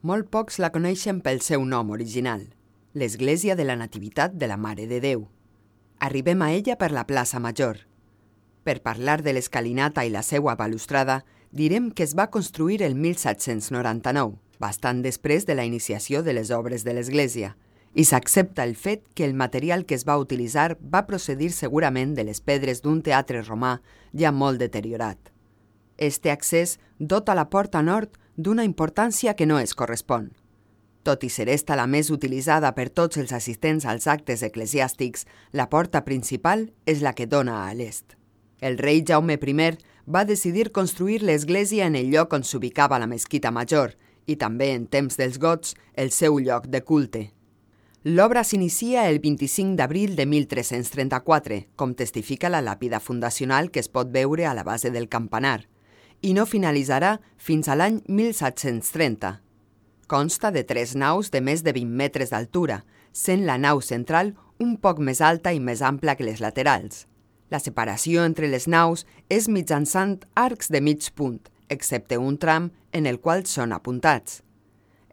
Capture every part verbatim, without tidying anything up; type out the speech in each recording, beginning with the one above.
Molt pocs la coneixen pel seu nom original, l'Església de la Nativitat de la Mare de Déu. Arribem a ella per la plaça Major. Per parlar de l'escalinata i la seua balustrada, direm que es va construir el mil set-cents noranta-nou, bastant després de la iniciació de les obres de l'església, i s'accepta el fet que el material que es va utilitzar va procedir segurament de les pedres d'un teatre romà ja molt deteriorat. Este accés dota la porta nord d'una importància que no es correspon. Tot i ser esta la més utilitzada per tots els assistents als actes eclesiàstics, la porta principal és la que dona a l'est. El rei Jaume primer va decidir construir l'església en el lloc on s'ubicava la mesquita major i també, en temps dels gots, el seu lloc de culte. L'obra s'inicia el vint-i-cinc d'abril de mil tres-cents trenta-quatre, com testifica la làpida fundacional que es pot veure a la base del campanar, i no finalitzarà fins a l'any mil set-cents trenta. Consta de tres naus de més de vint metres d'altura, sent la nau central un poc més alta i més ampla que les laterals. La separació entre les naus és mitjançant arcs de mig punt, excepte un tram en el qual són apuntats.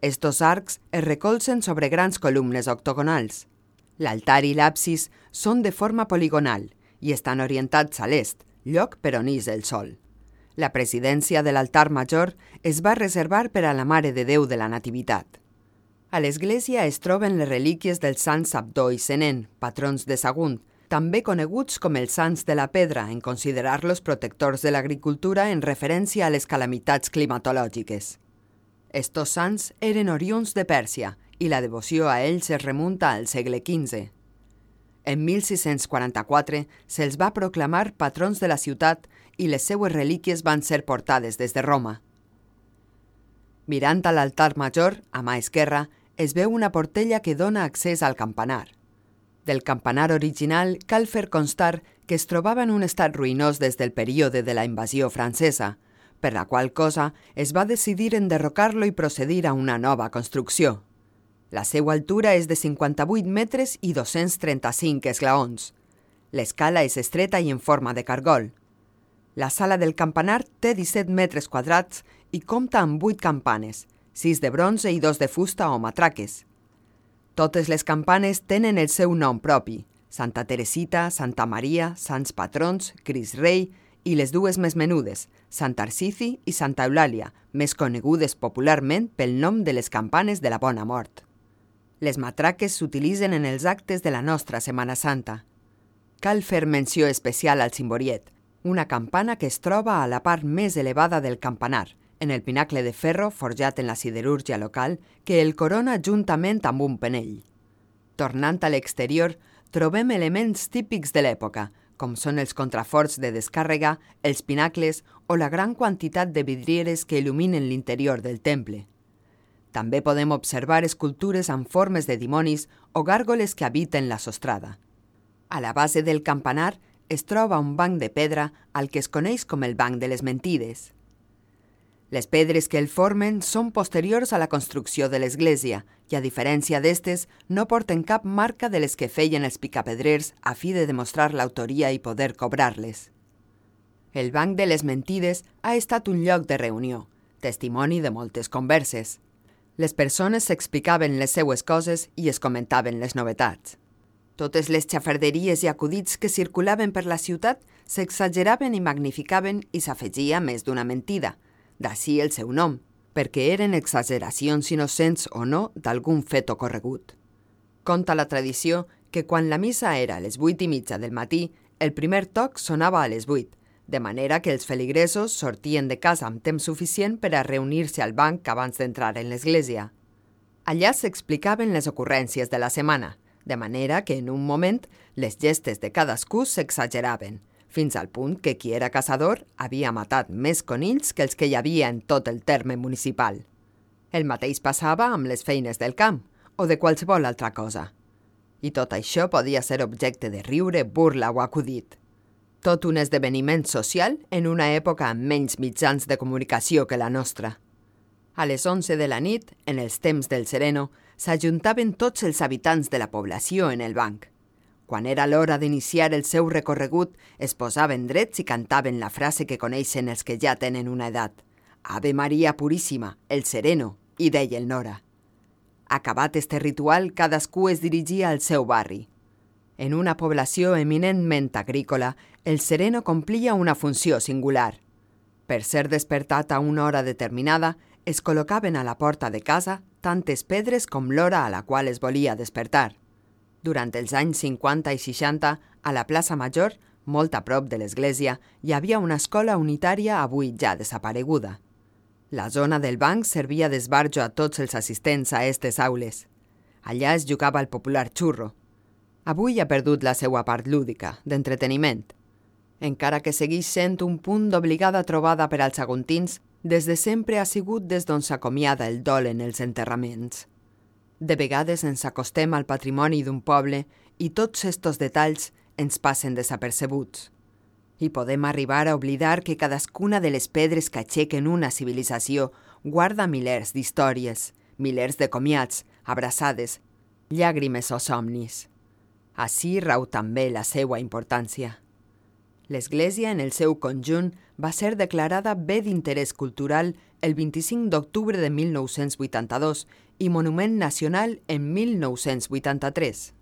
Estos arcs es recolzen sobre grans columnes octogonals. L'altar i l'absis són de forma poligonal i estan orientats a l'est, lloc per on ix el sol. La presidència de l'altar major es va reservar per a la Mare de Déu de la Nativitat. A l'església es troben les relíquies dels sants Abdó i Senén, patrons de Sagunt, també coneguts com els sants de la pedra en considerar-los protectors de l'agricultura en referència a les calamitats climatològiques. Estos sants eren oriunds de Pèrsia i la devoció a ells es remunta al segle quinze. En mil sis-cents quaranta-quatre se'ls va proclamar patrons de la ciutat i les seues relíquies van ser portades des de Roma. Mirant a l'altar major, a mà esquerra, es veu una portella que dona accés al campanar. Del campanar original cal fer constar que es trobava en un estat ruïnós des del període de la invasió francesa, per la qual cosa es va decidir enderrocar-lo i procedir a una nova construcció. La seva altura és de cinquanta-vuit metres i dos-cents trenta-cinc esglaons. L'escala és estreta i en forma de cargol. La sala del campanar té disset metres quadrats i compta amb vuit campanes, sis de bronze i dos de fusta o matraques. Totes les campanes tenen el seu nom propi: Santa Teresita, Santa Maria, Sants Patrons, Crist Rei i les dues més menudes, Sant Tarsici i Santa Eulàlia, més conegudes popularment pel nom de les campanes de la Bona Mort. Les matraques s'utilitzen en els actes de la nostra Setmana Santa. Cal fer menció especial al cimboriet, una campana que es troba a la part més elevada del campanar, en el pinacle de ferro forjat en la siderúrgia local que el corona juntament amb un penell. Tornant a l'exterior, trobem elements típics de l'època, com són els contraforts de descàrrega, els pinacles o la gran quantitat de vidrieres que il·luminen l'interior del temple. També podem observar escultures amb formes de dimonis o gàrgoles que habiten la sostrada. A la base del campanar es troba un banc de pedra al que es coneix com el Banc de les Mentides. Les pedres que el formen són posteriors a la construcció de l'església i, a diferència d'estes, no porten cap marca de les que feien els picapedrers a fi de demostrar l'autoria i poder cobrar-les. El Banc de les Mentides ha estat un lloc de reunió, testimoni de moltes converses. Les persones s'explicaven les seues coses i es comentaven les novetats. Totes les xafarderies i acudits que circulaven per la ciutat s'exageraven i magnificaven i s'afegia més d'una mentida, d'ací el seu nom, perquè eren exageracions innocents o no d'algun fet ocorregut. Conta la tradició que quan la missa era a les vuit i mitja del matí, el primer toc sonava a les vuit, de manera que els feligresos sortien de casa amb temps suficient per a reunir-se al banc abans d'entrar en l'església. Allà s'explicaven les ocurrències de la setmana, de manera que en un moment les gestes de cadascú s'exageraven, fins al punt que qui era caçador havia matat més conills que els que hi havia en tot el terme municipal. El mateix passava amb les feines del camp o de qualsevol altra cosa. I tot això podia ser objecte de riure, burla o acudit. Tot un esdeveniment social en una època amb menys mitjans de comunicació que la nostra. A les onze de la nit, en els temps del sereno, s'ajuntaven tots els habitants de la població en el banc. Quan era l'hora d'iniciar el seu recorregut, es posaven drets i cantaven la frase que coneixen els que ja tenen una edat: Ave Maria Puríssima, el sereno, i deia el Nora. Acabat este ritual, cadascú es dirigia al seu barri. En una població eminentment agrícola, el sereno complia una funció singular. Per ser despertat a una hora determinada, es col·locaven a la porta de casa tantes pedres com l'hora a la qual es volia despertar. Durant els anys cinquanta i seixanta, a la plaça Major, molt a prop de l'església, hi havia una escola unitària avui ja desapareguda. La zona del banc servia d'esbarjo a tots els assistents a aquestes aules. Allà es jugava el popular xurro. Avui ha perdut la seva part lúdica, d'entreteniment. Encara que segueix sent un punt d'obligada trobada per als aguntins, des de sempre ha sigut des d'on s'acomiada el dol en els enterraments. De vegades ens acostem al patrimoni d'un poble i tots estos detalls ens passen desapercebuts. I podem arribar a oblidar que cadascuna de les pedres que aixequen una civilització guarda milers d'històries, milers de comiats, abraçades, llàgrimes o somnis. Ací rau també la seva importància. L'església en el seu conjunt va ser declarada bé d'interès cultural el vint-i-cinc d'octubre de mil nou-cents vuitanta-dos i monument nacional en mil nou-cents vuitanta-tres.